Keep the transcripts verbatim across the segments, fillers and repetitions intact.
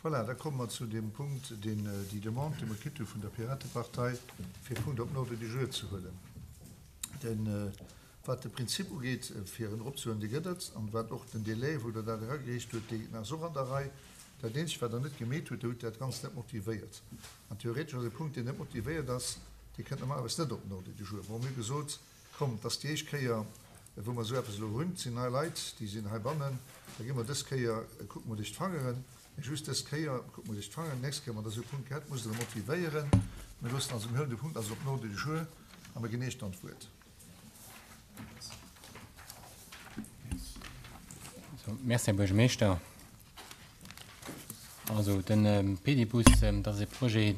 Voilà, da komme mer zu deem Punkt, deen déi Demande, déi mer kritt hu vun der Piratepartei, fir e Punkt op den Ordre du jour ze huelen. Den, wat de Prinzip ugeet, fir en eropzehuelen, dee gëtt et. An wat och den Délai, wou Der dat eragereecht hutt, dee ass och an der Rei. Dat Eenzegt, wat Der net gemeet hutt, Der hutt dat Ganzt net motivéiert. An theoretesch ass e Punkt, deen net motivéiert ass, dee kënnt normalerweis net op den Ordre du jour. Bon, mir hu gesot, Komm, et ass déi éischt Kéier, wou mer esou eppes elo hunn. Et sinn nei Leit, déi sinn heibannen. Da gi mer dës Kéier, kucke mer duerch d'Fangeren, mee just dës Kéier kucke mer duerch d'Fangeren. Déi nächst Kéier, wann Der esou e Punkt hätt, musst Der e motivéieren. Mir loossen also, mir huelen de Punkt also op den Ordre du jour a mir ginn Iech dann d'Wuert. Merci, Här Buergermeeschter. Also de Pedibus, dat ass e Projet,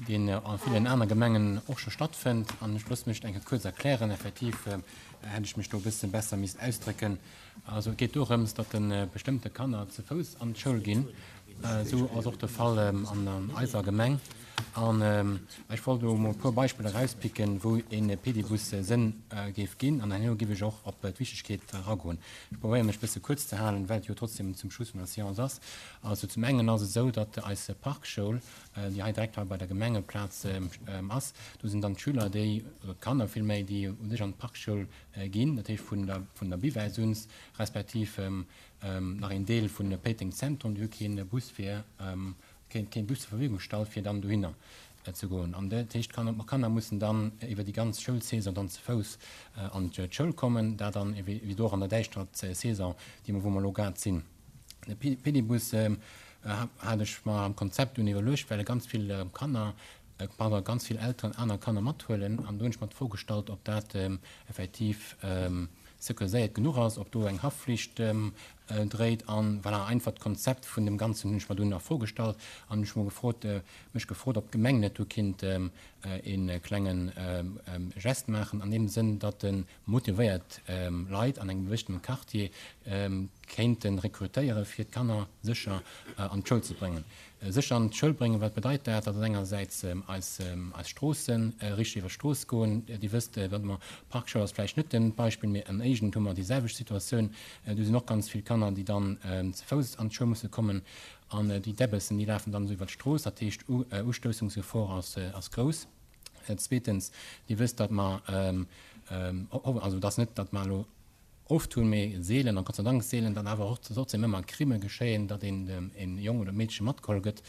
deen a villen aner Gemengen och scho stattfënnt. An ech loosse mech eng Kéier kuerz erklären. Effektiv hätt ech mech do e bësse besser misst ausdrécken. Also et geet dorëms, datt de bestëmmte Kanner ze Fouss an d'Schoul ginn. Esou ass och de Fall an eiser Gemeng. An ech wollt elo emol e puer Beispiller erauspicken, wou e Pedibus Sënn géif ginn. An herno géif ech och op d'Wichtegkeet eragoen. Ech probéiere mech e bësse kuerz ze halen, well et jo trotzdem zum Schluss vun der Séance ass. Also zum engen ass et esou, datt eis Parkschoul, déi hei direkt hei bei der Gemengeplaz ass, do sinn dann d'Schüler, déi, oder d'Kanner villméi, déi u sech an d'Parkschoul ginn, dat heescht vun der, vun der Buvette uns, respektiv nach een Deel vun Péiteng Zentrum, déi hu kee Bus fir, keen, keen Bus zur Verfügung gestallt, fir dann dohinner ze goen. An dat heescht, d'Kanner, d'Kanner mussen dann iwwer déi ganz Schoulsaison dann ze Fouss an d'Schoul kommen, dat dann ewéi do och an der däischterer Saison, déi mer, wou mer elo grad sinn. De Pedibus hat ech mer am Konzept dunn iwwerluecht, well ganz vill Kanner, pardon, ganz vill Elteren aner Kanner mathuelen. An do hunn ech mer d'Fro gestallt, ob dat effektiv sécuriséiert genuch ass, ob do eng Haftflicht dréit. An voilà, einfach d'Konzept vun dem Ganzen hunn ech mer dunn a Fro gestallt an hunn ech mol gefrot, mech gefrot, ob d'Gemeng net do kinnt e klenge Geste maachen an deem Sënn, datt e motivéiert Leit an engem gewëssenen Quartier kéinte rekrutéiere fir d'Kanner sécher an d'Schoul ze bréngen. Sécher an d'Schoul bréngen, wat bedeit dat? Dat ass engersäits eis eis Stroossen, richteg iwwer d'Strooss goen. Dir wësst, datt mer, Parkschoul ass vläicht net den Beispill, mee an Éigent hu mer déi selwecht Situatioun. Do sinn och ganz vill Kanner, déi dann ze Fouss an d'Schoul musse kommen an déi Däbbessen, déi lafen dann esou iwwer d'Strooss. Dat heescht, Ustoussungsgefor ass ass grouss. Zweetens, Dir wësst, datt mer, also et ass net, datt mer elo oft hunn, mee seelen, an Gott sei Dank seelen, datt awer och trotzdem ëmmer Crime geschéien, datt een e Jong oder e Meedche matgeholl gëtt.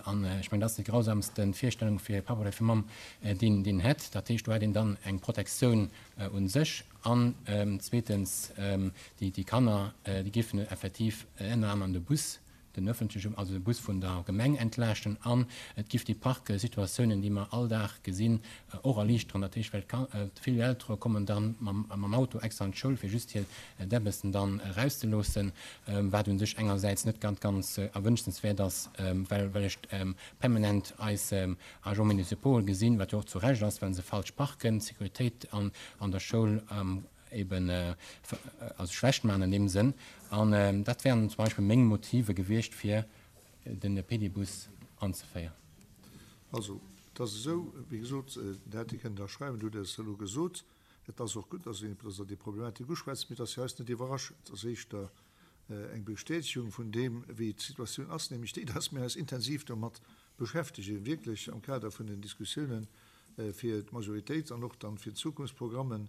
An ech mengen, dat ass déi grausamste Virstellung fir e Papp oder fir Mamm, deen deen hätt. Dat heescht, do hätt een dann eng Protektioun u sech. An zweetens, déi déi Kanner, déi géifen effektiv ënner anerem de Bus den öffentliche, also de Bus vun der Gemeng entlaaschten an et giff déi Parksituatiounen, déi mer all Dag gesinn, och erliichteren. Dat heescht, well vill Eltere kommen dann mam Auto extra an d'Schoul, fir just hir Däbbessen dann erauszeloossen, wat u sech engersäits net ganz, ganz erwünschenswäert ass, well well ech permanent eis Agents municipaux gesinn, wat jo och zu Recht ass, well se falsch parken, d'Sécuritéit an der Schoul eben also schlecht maachen an deem Sënn. An dat wären zum Beispill meng Motive gewiescht, fir de Pedibus anzeféieren. Also, et ass esou, wéi gesot, dat hätt Dir kënnen da schreiwen, du hutt et elo gesot. Et ass och gutt, dass Der déi Problematik uschwätzt, mee et ass jo eis net iwwerraschend. Et ass éischter eng Bestätegung vun deem, wéi d'Situatioun ass, nämlech déi, dass mir eis intensiv domat beschäftegen, wierklech am Kader vun den Diskussiounen fir d'Majoritéit an och dann fir d'Zukunftsprogrammen,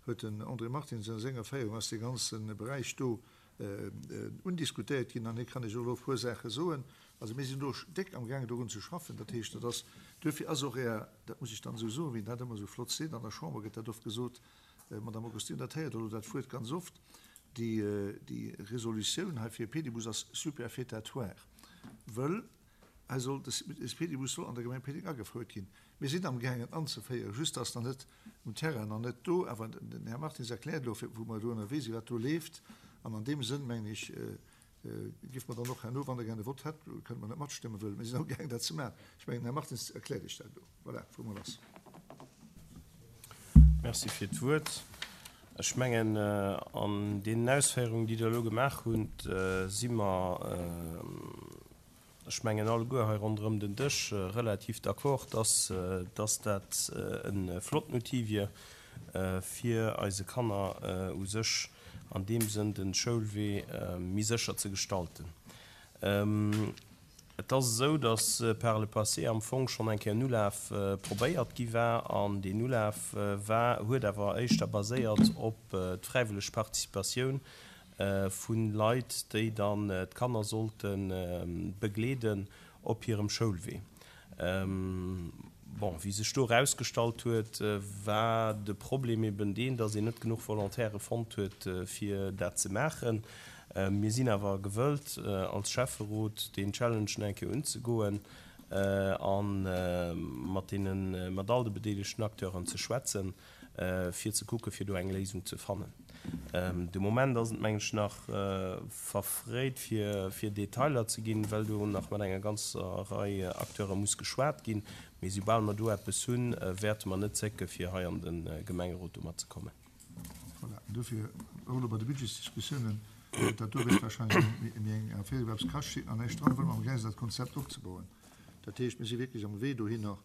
huet den André Martins a senger Féierung ass dee ganze Beräich do undiskutéiert ginn an hie kann Iech och elo e puer Saache soen. Also mir sinn do déck amgaangen dorun ze schaffen. Dat heescht, dat ass, duerfir ass och Är, dat muss ech dann esou soen, wéi een dat ëmmer esou flott seet, an der Chamber gëtt dat oft gesot, Madame Augustino, dat héiert Der elo dat Wuert ganz oft, déi, déi Resolutioun hei fir e Pedibus ass superfétatoire, wëll hei soll, de Pedibus soll an der Gemeng Péteng agefouert ginn. Mir sinn amgaangen anzeféieren, just ass nach net um Terrain, nach net do. Awer den Här Martins erkläert elo, wou mer do ënnerwee sinn, wat do leeft. An an deem Sënn, mengen ech, géife mer dann och herno, wann Der gär e Vott hätt, kënne mer net matstëmmen, wëll mir sinn amgaangen dat ze maachen. Ech mengen, den Här Martins erkläert Iech dat elo. Voilà, wou mer lass. Merci fir d'Wuert. Ech mengen, an deenen Ausféierungen, déi Der elo gemaach hutt, si mer, ech mengen alleguer hei ronderëm den Dësch relativ d'accord, dass, dass dat e flotten Outil wier, fir eise Kanner u sech an deem Sënn de Schoulwee méi sécher ze gestalten. Et ass esou, datt par le passé am Fong schonn eng Kéier en Ulaf probéiert gi war, an deen Ulaf war, huet awer éischter baséiert op d'fräiwëlleg Participatioun vu Leit, déi dann d'Kanner sollte begleeden op hirem Schoulwee. Bon, wéi sech do erausgestallt huet, war de Problem eben deen, datt een net genuch Volontaire fonnt huet, fir dat ze maachen. Mir sinn awer gewëllt, als Schäfferot deen Challenge nach eng Kéier unzegoen a mat deenen, mat all de bedeelegten Acteuren ze schwätzen, fir ze kucken, fir do eng Léisung ze fannen. De Moment ass et, mengen ech, nach verfréit, fir, fir Detailer ze ginn, well do nach mat enger ganzer Rei Acteure muss geschwat ginn. Mee soubal mer do eppes hunn, wäerte mer net zécken, fir hei an de Gemengerot domat ze kommen. Voilà, an dofir och elo bei de Budgetsdiskussiounen, dat do wäert wahrscheinlech méi eng Affär iwwer eppes kascht an näischt dran, wëlle mer amgaang sinn, dat Konzept opzebauen. Dat heescht, mir si wierklech am Wee dohinner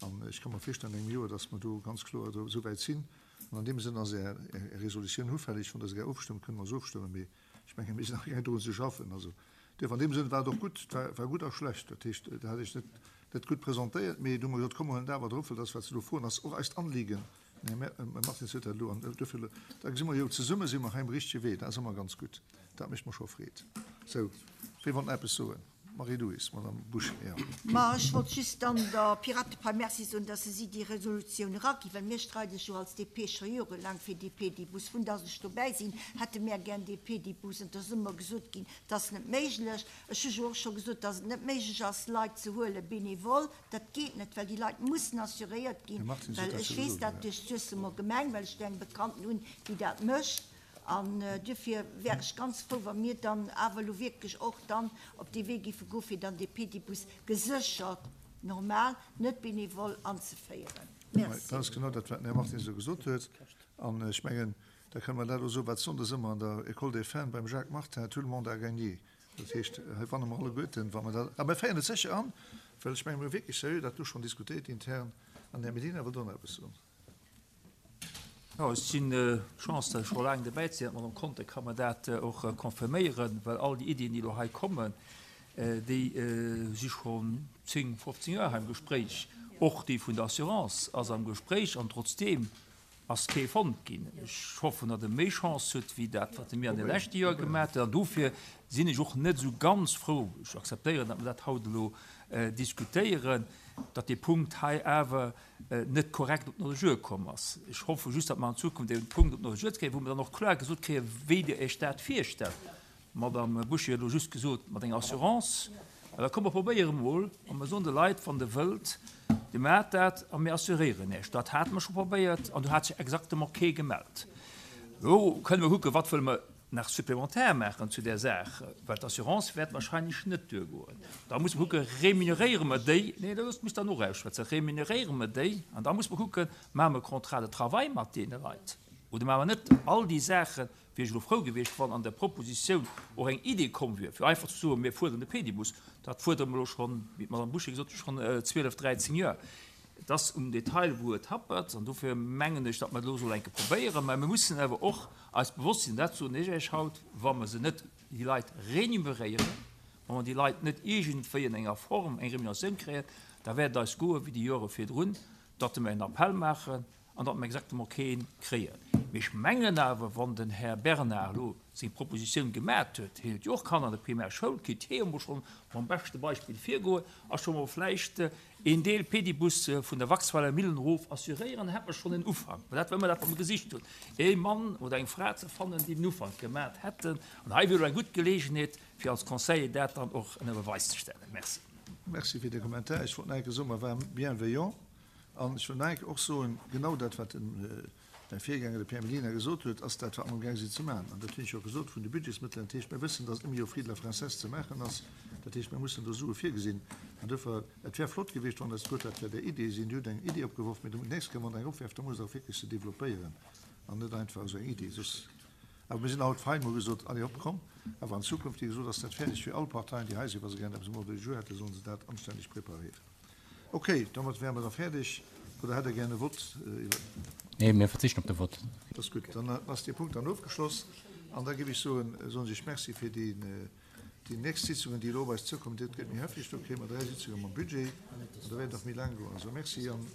an ech ka mer virstellen an engem Joer, dass mer do ganz kloer esou wäit sinn. An an deem Sënn ass Är Resolutioun ufälleg. Wann Der se gär ofstëmmt, kënne mer se ofstëmmen, mee ech mengen, mir sinn nach amgaang drun ze schaffen. Also duerfir an deem Sënn war et och gutt, et war, war gutt a schlecht. Dat heescht, Der hat Iech net, net gutt presentéiert, mee du hu mer gesot, komm, mer huelen dat awer drop, well dat, wat se do froen, ass och eist Anliegen. Den Här Martins huet dat elo an duerfir, da gesi mer jo, zesumme si mer hei um richtege Wee. Dat ass ëmmer ganz gutt. Dat mécht mer scho Freed. Sou, wee wollt nach eppes soen? Marie-Louise, Madame Bouché, jo. Ma ech wollt just dann der Piratepartei Merci soen, dass se si déi Resolutioun eraginn, well mir streide jo als D P scho jorelaang fir dee Pedibus. Vun dass ech dobäi sinn, hätte mär gär dee Pedibus, an et ass ëmmer gesot ginn, dat ass net méiglech. Ech hu jo och scho gesot, dass et net méiglech ass, Leit ze huele bénévol. Dat geet net, well déi Leit mussen assuréiert ginn, Här Martins huet well dat ech scho weess gesot, dat jo. duerch d'Suessemer Gemeng, well ech do eng Bekannten hunn, déi dat mécht. An duerfir wär ech ganz frou, wa mir dann awer elo wierklech och dann op dee Wee géife goen, fir dann dee Pedibus geséchert, normal, net bénévol anzeféieren. Merci. Dat ass genau dat, wat den Här Martins elo gesot huet. An ech mengen, da kënne mer dat elo soen, wat sonndes ëmmer an der École des Femmes beim Jacques Martin, tout le monde a gagné. Dat heescht, hei wanne mer alleguerten, wa mer dat, a mir féieren et sécher an, well ech mengen, mir hu wierklech seriö dat do schonn diskutéiert intern. An den Här Medina wëllt och nach eppes soen. Jo, ech sinn d'Chance, datt ech scho laang dobäi sinn, d'Madame Conter ka mer dat och confirméieren, well all déi Iddien, déi elo hei kommen, déi si schonn zéng, fofzéng Joer hei am Gespréich. Och déi vun der Assurance ass am Gespréich an trotzdeem ass kee fonnt ginn. Ech hoffen, datt e méi Chance huet wéi dat, wat e mir an de leschte Joer gemaach huet. An dofir sinn ech och net esou ganz frou, ech akzeptéieren, datt mer dat haut elo diskutéieren, datt dee Punkt hei awer net korrekt op den Ordre du jour komm ass. Ech hoffe just, datt mer an Zukunft dee Punkt op den Ordre du jour kréien, wou mer dann och kloer gesot kréien, wéi Dir Iech dat virstellt. D'Madame Bouché huet elo just gesot, mat enger Assurance. Mä da komm mer probéiere mol a mer soen de Leit, wann Der wëllt, Dir maacht dat a mir assuréieren Iech. Dat hate mer scho probéiert an do hat sech exactement kee gemellt. Elo kënne mer kucken, wat wëlle mer nach supplémentaire maachen zu där Saach, well d'Assurance wäert wahrscheinlech net duergoen. Da muss mer kucken, remuneréiere mer déi, nee, da loosst mech dann och ausschwätzen, remuneréiere mer déi, an da muss mer kucken, maache mer e Contrat de travail mat deene Leit oder maache mer net. All déi Saache wier ech elo frou gewiescht, wann an der Propositioun och eng Idee komm wier, fir einfach ze soen, mir fuerderen de Pedibus. Dat fuerdere mer elo schonn, wéi d'Madame Bouché gesot huet, schonn zwielef, dräizéng Joer. Et ass um Detail, wou et happert, an dofir mengen ech, datt mer et elo soll eng Kéier probéieren. Mä mir mussen awer och eis bewosst sinn, dat soen ech Iech haut, wa mer se net, déi Leit, remuneréieren, wa mer déi Leit net iergendwéi an enger Form eng Remuneratioun kréien, da wäert et eis goe wéi déi Jore virdrun, datt mer en Appell maachen an datt mer exactement kee kréien. Mee ech mengen awer, wann den Här Bernard elo seng Propositioun gemat huet, hien huet jo och Kanner an der Primärschoul, kéint hie emol schonn mam beschte Beispill virgoen a scho mol vläicht een Deel Pedibus vun der Waxweiler Millen erof assuréieren, dann hätt mer schonn en Ufank. Well dat war ëmmer dat, wat mer gesicht hunn, ee Mann oder eng Fra ze fannen, déi den Ufank gemat hätten. An hei wier elo eng gutt Geleegenheet, fir als Conseiller dat dann och ënner Beweis ze stellen. Merci. Merci fir de Kommentar. Ech wollt nach eng Kéier soen, mer ware bienveillant. An ech wëll nach eng Kéier och soen, genau dat, wat den, mäi Virgänger, de Pierre Mellina, gesot huet, ass dat, wat mer amgaang sinn ze maachen. An dat hunn ech jo gesot vun de Budgetsmëttelen. Dat heescht, mir wëssen, dass et ëmmer jo Friede la Princesse ze maachen ass. Dat heescht, mir mussen do Sue virgesinn. An duerfir, et wär flott gewiescht, wann Der gesot hätt, dat wär där Idee sinn. Dir hutt eng Idee opgeworf, mee d'nächst Kéier, wann Der eng opwerft, da musst Der och wierklech se développéieren an net einfach esou eng Idee. Soss, awer mir sinn haut fein, hu gesot, allez hopp, komm. Awer an Zukunft, wéi gesot, ass dat fäerdeg fir all Parteien, déi hei sinn. Wa se gären eppes um Ordre du jour hätten, sollen se dat anstänneg preparéieren. Okay, domat wäre mer da fäerdeg. Oder hätt Der gären e Vott iwwer? Nee, mir verzichten op de Vott. Dat ass gutt. Dann ass dee Punkt dann ofgeschloss. An da géif ech soen, soen ech Merci fir déi, Déi nächst Sitzungen, déi elo op eis zoukommen, dat gëtt méi hefteg. Do kréie mer dräi Sitzunge mam Budget an da wäert et nach méi laang goen. Also Merci an.